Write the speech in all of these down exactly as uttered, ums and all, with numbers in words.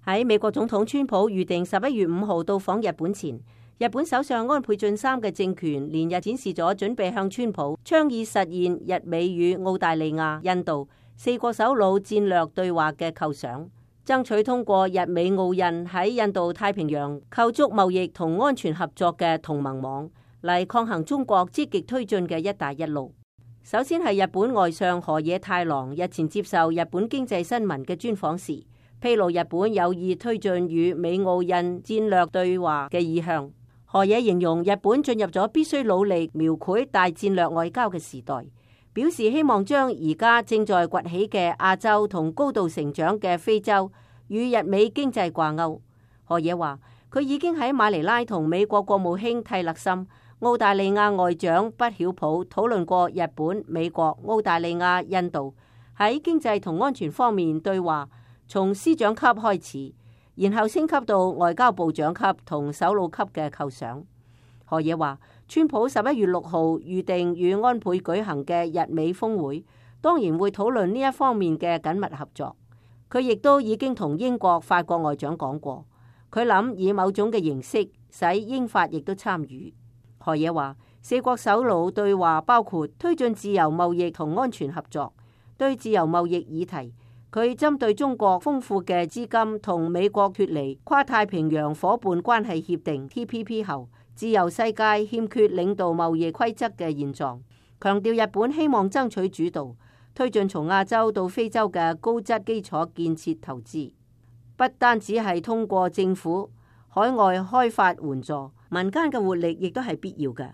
喺美國總統川普預定十一月五號到訪日本前，日本首相安倍晉三嘅政權連日展示咗準備向川普倡議實現日美與澳大利亞、印度四國首腦戰略對話嘅構想，爭取通過日美澳印喺印度太平洋構築貿易同安全合作嘅同盟網，嚟抗衡中國積極推進嘅一帶一路。首先係日本外相河野太郎日前接受日本經濟新聞嘅專訪時，披露日本有意推進與美澳印戰略對話嘅意向。河野形容日本進入咗必須努力描繪大戰略外交嘅時代，表示希望將而家正在崛起嘅亞洲同高度成長嘅非洲與日美經濟掛鈎。河野話佢已經喺馬尼拉同美國國務卿蒂勒森、澳大利亞外長畢曉普討論過日本、美國、澳大利亞、印度喺經濟同安全方面對話，從司長級開始，然後升級到外交部長級同首腦級嘅構想。河野話，川普十一月六號預定與安倍舉行嘅日美峰會，當然會討論呢一方面嘅緊密合作。佢亦都已經同英國、法國外長講過，佢諗以某種嘅形式使英法亦都參與。河野話，四國首腦對話包括推進自由貿易同安全合作。對自由貿易議題，佢針對中國豐富嘅資金同美國脫離跨太平洋夥伴關係協定 T P P 後，自由世界欠缺領導貿易規則嘅現狀，強調日本希望爭取主導，推進從亞洲到非洲嘅高質基礎建設投資，不單只係通過政府海外開發援助，民間嘅活力亦都係必要嘅。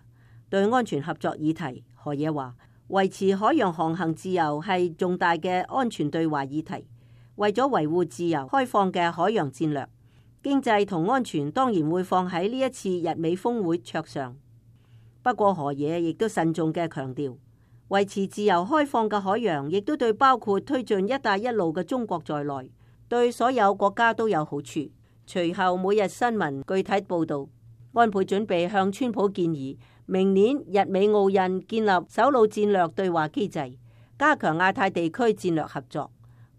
對安全合作議題，河野話維持海洋航行自由係重大嘅安全對話議題。為咗維護自由開放嘅海洋戰略，經濟同安全當然會放喺呢一次日美峰會桌上。不過河野亦都慎重嘅強調，維持自由開放嘅海洋亦都對包括推進一帶一路嘅中國在內，對所有國家都有好處。隨後每日新聞具體報道，安倍準備向川普建議，明年日美澳印建立首腦戰略對話機制，加強亞太地區戰略合作。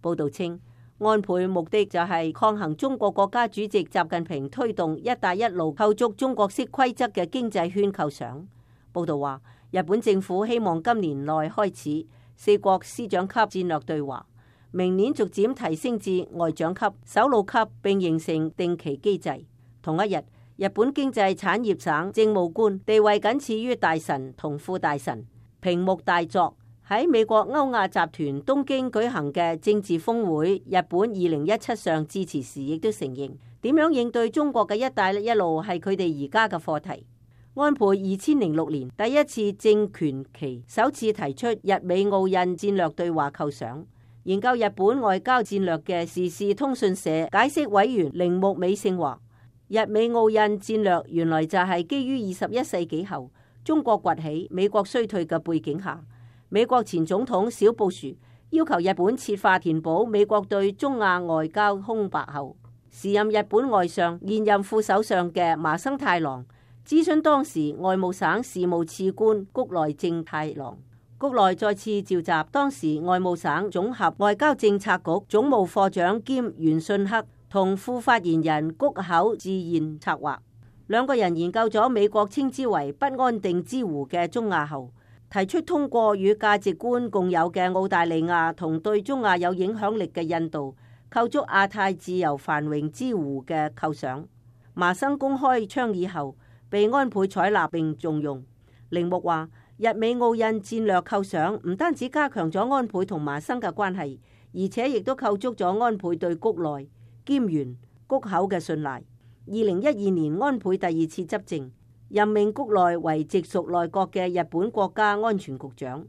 報道稱，安倍目的就係抗衡中國國家主席習近平推動一帶一路構築中國式規則嘅經濟圈構想。報道話，日本政府希望今年內開始四國司長級戰略對話，明年逐漸提升至外長級、首腦級，並形成定期機制。同一日，日本經濟產業省政務官地位僅次於大臣同副大臣平木大作喺美國歐亞集團東京舉行嘅政治峰會日本二零一七上致辭時，亦都承認點樣應對中國嘅一帶一路係佢哋而家嘅課題。安倍二千零六年第一次政權期首次提出日美澳印戰略對話構想。研究日本外交戰略嘅時事通訊社解釋委員鈴木美勝話，日美澳印戰略原來就係基於二十一世紀後中國崛起、美國衰退嘅背景下，美國前總統小布殊要求日本設法填補美國對中亞外交空白後，時任日本外相、現任副首相嘅麻生太郎諮詢當時外務省事務次官谷內正太郎，谷內再次召集當時外務省總合外交政策局總務課長兼原信克同副發言人谷口智彥策劃，兩個人研究咗美國稱之為不安定之湖嘅中亞後，提出通過與價值觀共有嘅澳大利亞同對中亞有影響力嘅印度構築亞太自由繁榮之湖嘅構想。麻生公開倡議後，被安倍採納並重用。鈴木話，日美澳印戰略構想唔單止加強咗安倍同麻生嘅關係，而且亦都構築咗安倍對谷內兼原谷口嘅信賴。二零一二年安倍第二次執政，任命谷內為直屬內閣嘅日本國家安全局長，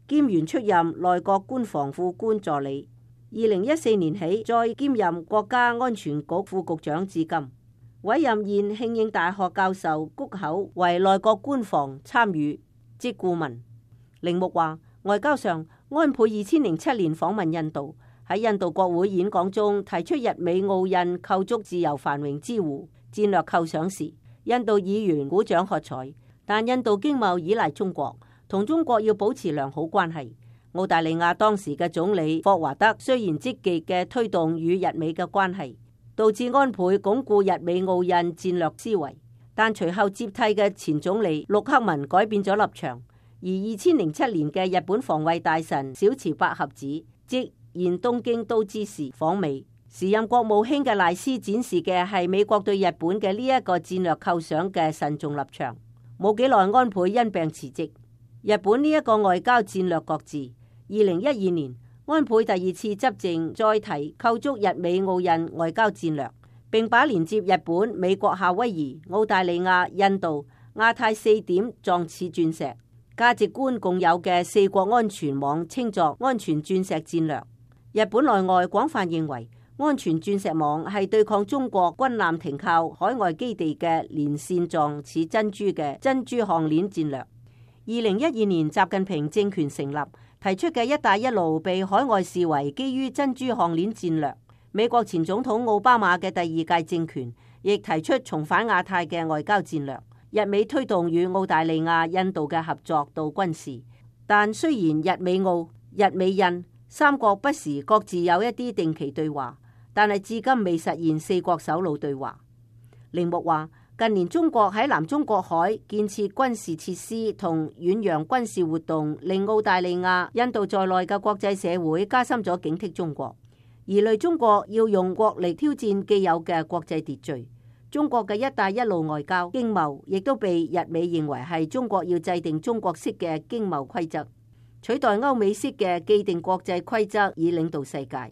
兼原出任內閣官房副官助理。二零一四年起再兼任國家安全局副局長至今，委任現慶應大學教授谷口為內閣官房參與即顧問。鈴木話，外交上，安倍二千零七年訪問印度，喺印度國會演講中提出日美澳印構築自由繁榮之湖戰略構想時，印度議員鼓掌喝彩。但印度經貿依賴中國，同中國要保持良好關係。澳大利亞當時嘅總理霍華德雖然積極嘅推動與日美嘅關係，導致安倍鞏固日美澳印戰略思維。但隨後接替嘅前總理陸克文改變咗立場，而二千零七年嘅日本防衛大臣小池百合子即現東京都知事訪美，時任國務卿嘅賴斯展示嘅係美國對日本嘅呢一個戰略構想嘅慎重立場。冇幾耐，安倍因病辭職，日本呢一個外交戰略擱置。二零一二年，安倍第二次執政，再提構築日美澳印外交戰略，並把連接日本、美國、夏威夷、澳大利亞、印度、亞太四點狀似鑽石價值觀共有嘅四國安全網稱作安全鑽石戰略。日本內外廣泛認為，安全鑽石網係對抗中國軍艦停靠海外基地嘅連線狀似珍珠嘅珍珠項鏈戰略。二零一二年，習近平政權成立，提出嘅一帶一路被海外視為基於珍珠項鏈戰略。美國前總統奧巴馬嘅第二屆政權亦提出重返亞太嘅外交戰略。日美推動與澳大利亞、印度嘅合作到軍事，但雖然日美澳、日美印三國不時各自有一啲定期對話，但係至今未實現四國首腦對話。鈴木話：近年中國喺南中國海建設軍事設施同遠洋軍事活動，令澳大利亞、印度在內嘅國際社會加深咗警惕中國，疑慮中國要用國力挑戰既有嘅國際秩序。中國嘅一帶一路外交經貿亦都被日美認為係中國要制定中國式嘅經貿規則，取代歐美式嘅既定國際規則以領導世界。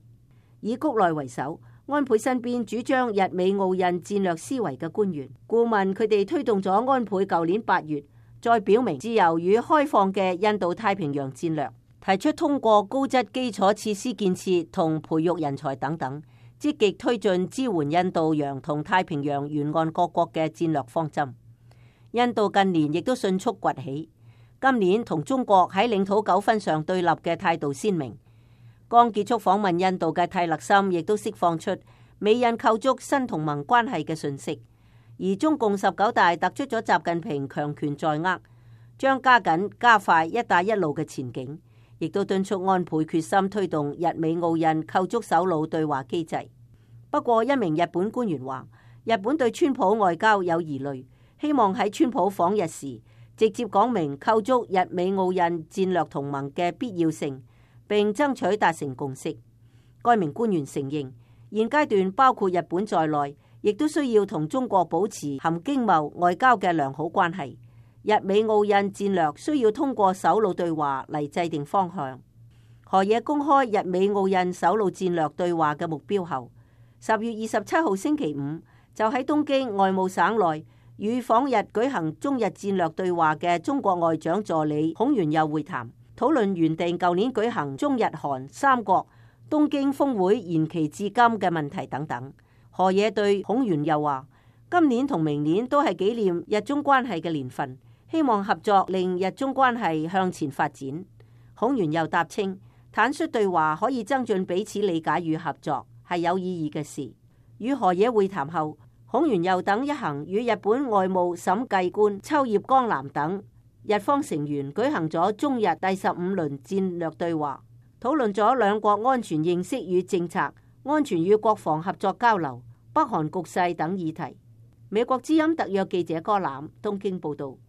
以谷內為首，安倍身邊主張日美澳印戰略思維嘅官員顧問，佢哋推動咗安倍舊年八月再表明自由與開放嘅印度太平洋戰略，提出通過高質基礎設施建設同培育人才等等，積極推進支援印度洋同太平洋沿岸各國嘅戰略方針。印度近年亦都迅速崛起，今年同中國喺領土糾紛上對立嘅態度鮮明。剛結束訪問印度嘅泰勒森亦都釋放出美印構築新同盟關係嘅訊息，而中共十九大突出咗習近平強權在握，將加緊加快一帶一路嘅前景，亦都敦促安倍決心推動日美澳印構築首腦對話機制。不過，一名日本官員話，日本對川普外交有疑慮，希望喺川普訪日時直接講明構築日美澳印戰略同盟嘅必要性，並爭取達成共識。該名官員承認，現階段包括日本在內，亦都需要同中國保持含經貿外交嘅良好關係。日美澳印戰略需要通過首腦對話嚟制定方向。河野公開日美澳印首腦戰略對話嘅目標後，十月二十七號星期五就喺東京外務省內與訪日舉行中日戰略對話嘅中國外長助理孔鉉佑會談，討論原定舊年舉行中日韓三國東京峰會延期至今嘅問題等等。河野對孔鉉佑話：今年同明年都係紀念日中關係嘅年份，希望合作令日中關係向前發展。孔鉉佑答稱，坦率對話可以增進彼此理解與合作，係有意義嘅事。與河野會談後，孔鉉佑等一行與日本外務審計官秋葉剛男等日方成員舉行咗中日第十五輪戰略對話，討論咗兩國安全認識與政策、安全與國防合作交流、北韓局勢等議題。美國之音特約記者柯南東京報道。